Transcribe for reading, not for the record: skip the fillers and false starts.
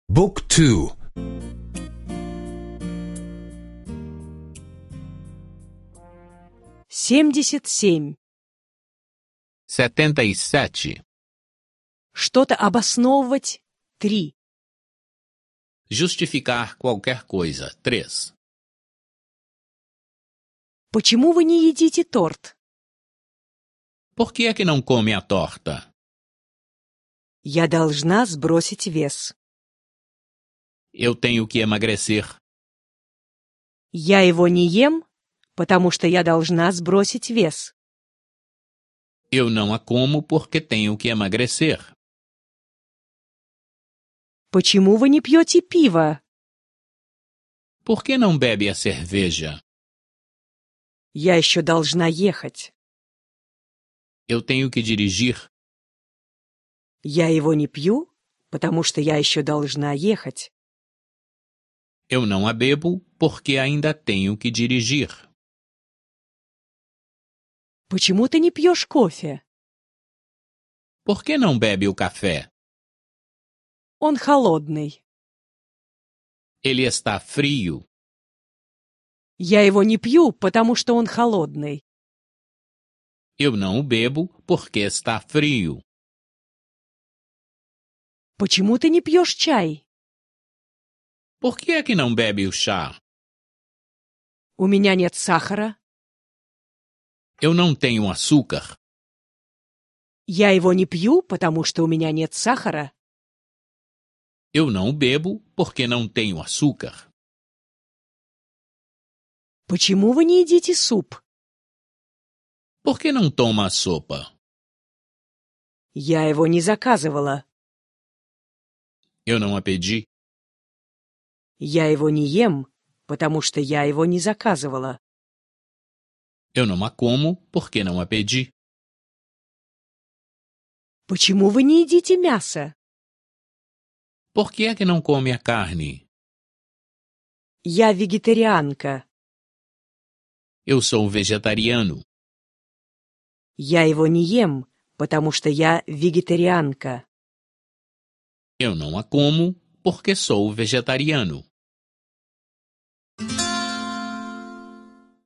Book 2. 77. 77. Что-то обосновывать. 3. Justificar qualquer coisa. 3. Почему вы не едите торт? Por que é que não come a torta? Я должна сбросить вес. Eu tenho que emagrecer. Я его не ем, потому что я должна сбросить вес. Eu não a como porque tenho que emagrecer. Почему вы не пьете пиво? Por que não bebe a cerveja? Я еще должна ехать. Eu tenho que dirigir. Я его не пью, потому что я еще должна ехать. Eu não a bebo porque ainda tenho que dirigir. Почему ты не пьешь кофе? Por que não bebe o café? Он холодный. Ele está frio. Я его не пью, потому что он холодный. Eu não o bebo porque está frio. Почему ты не пьешь чай? Por que é que não bebe o chá? У меня нет сахара. Eu não tenho açúcar. Я его не пью, потому что у меня нет сахара. Eu não o bebo porque não tenho açúcar. Почему вы не едите суп? Por que não toma a sopa? Я его не заказывала. Eu não a pedi. Я его не ем, потому что я его не заказывала. Eu não a como porque não a pedi. Почему вы не едите мясо? Por que é que não come a carne? Я вегетарианка. Eu sou vegetariano. Я его не ем, потому что я вегетарианка. Eu não a como porque sou vegetariano.